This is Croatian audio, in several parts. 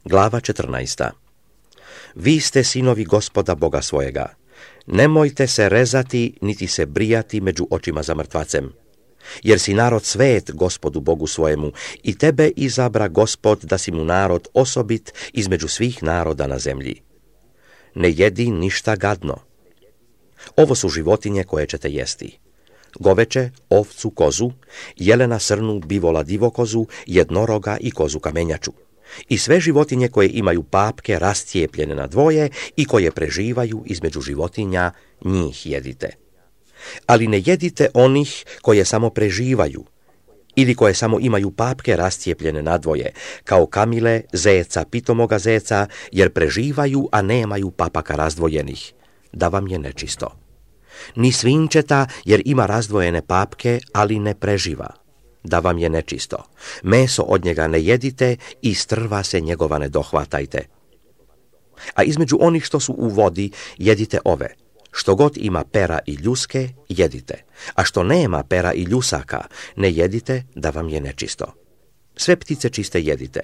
Glava 14. Vi ste sinovi Gospoda Boga svojega. Nemojte se rezati, niti se brijati među očima za mrtvacem. Jer si narod svet Gospodu Bogu svojemu i tebe izabra Gospod da si mu narod osobit između svih naroda na zemlji. Ne jedi ništa gadno. Ovo su životinje koje ćete jesti. Goveče, ovcu, kozu, jelena, srnu, bivola, divokozu, jednoroga i kozu kamenjaču. I sve životinje koje imaju papke rascijepljene na dvoje i koje preživaju između životinja, njih jedite. Ali ne jedite onih koje samo preživaju ili koje samo imaju papke rascijepljene na dvoje, kao kamile, zeca, pitomoga zeca, jer preživaju, a nemaju papaka razdvojenih, da vam je nečisto. Ni svinčeta, jer ima razdvojene papke, ali ne preživa, da vam je nečisto. Meso od njega ne jedite i strva se njegova ne dohvatajte. A između onih što su u vodi, jedite ove. Što god ima pera i ljuske, jedite, a što nema pera i ljusaka, ne jedite, da vam je nečisto. Sve ptice čiste jedite,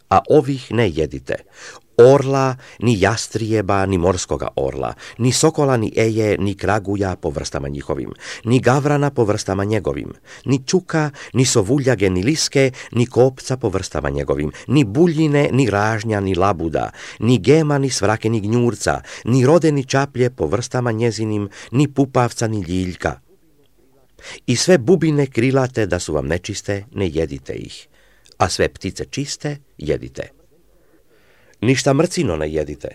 a ovih ne jedite. Orla, ni jastrijeba, ni morskoga orla, ni sokola, ni eje, ni kraguja po vrstama njihovim, ni gavrana po vrstama njegovim, ni čuka, ni sovuljage, ni liske, ni kopca po vrstama njegovim, ni buljine, ni ražnja, ni labuda, ni gema, ni svrake, ni gnjurca, ni rode, ni čaplje po vrstama njezinim, ni pupavca, ni ljiljka. I sve bubine krilate da su vam nečiste, ne jedite ih, a sve ptice čiste, jedite. Ništa mrcino ne jedite.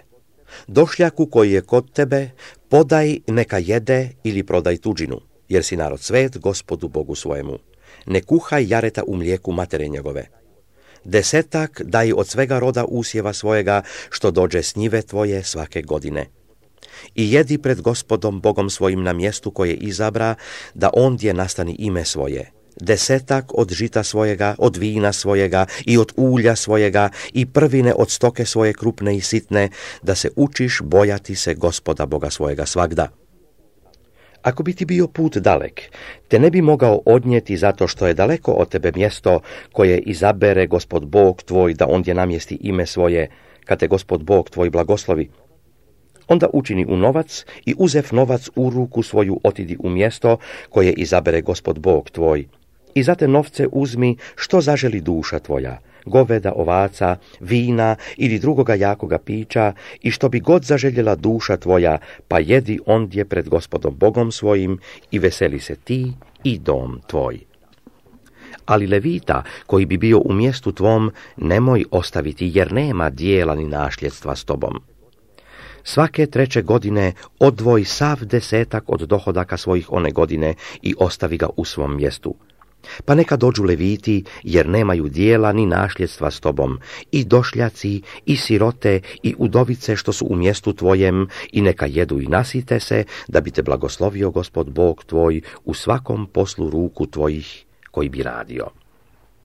Došljaku koji je kod tebe, podaj neka jede ili prodaj tuđinu, jer si narod svet Gospodu Bogu svojemu. Ne kuhaj jareta u mlijeku matere njegove. 10 daj od svega roda usjeva svojega, što dođe s njive tvoje svake godine. I jedi pred Gospodom Bogom svojim na mjestu koje izabra, da ondje nastani ime svoje. 10 od žita svojega, od vina svojega i od ulja svojega i prvine od stoke svoje krupne i sitne, da se učiš bojati se Gospoda Boga svojega svagda. Ako bi ti bio put dalek, te ne bi mogao odnijeti zato što je daleko od tebe mjesto koje izabere Gospod Bog tvoj da ondje namjesti ime svoje, kad te Gospod Bog tvoj blagoslovi, onda učini u novac i uzev novac u ruku svoju otidi u mjesto koje izabere Gospod Bog tvoj. I za te novce uzmi što zaželi duša tvoja, goveda, ovaca, vina ili drugoga jakoga pića i što bi god zaželjela duša tvoja, pa jedi ondje pred Gospodom Bogom svojim i veseli se ti i dom tvoj. Ali levita koji bi bio u mjestu tvom nemoj ostaviti, jer nema dijela ni nasljedstva s tobom. Svake 3. godine odvoj sav 10 od dohodaka svojih one godine i ostavi ga u svom mjestu. Pa neka dođu leviti, jer nemaju dijela ni nasljedstva s tobom, i došljaci, i sirote, i udovice što su u mjestu tvojem, i neka jedu i nasite se, da bi te blagoslovio Gospod Bog tvoj u svakom poslu ruku tvojih koji bi radio.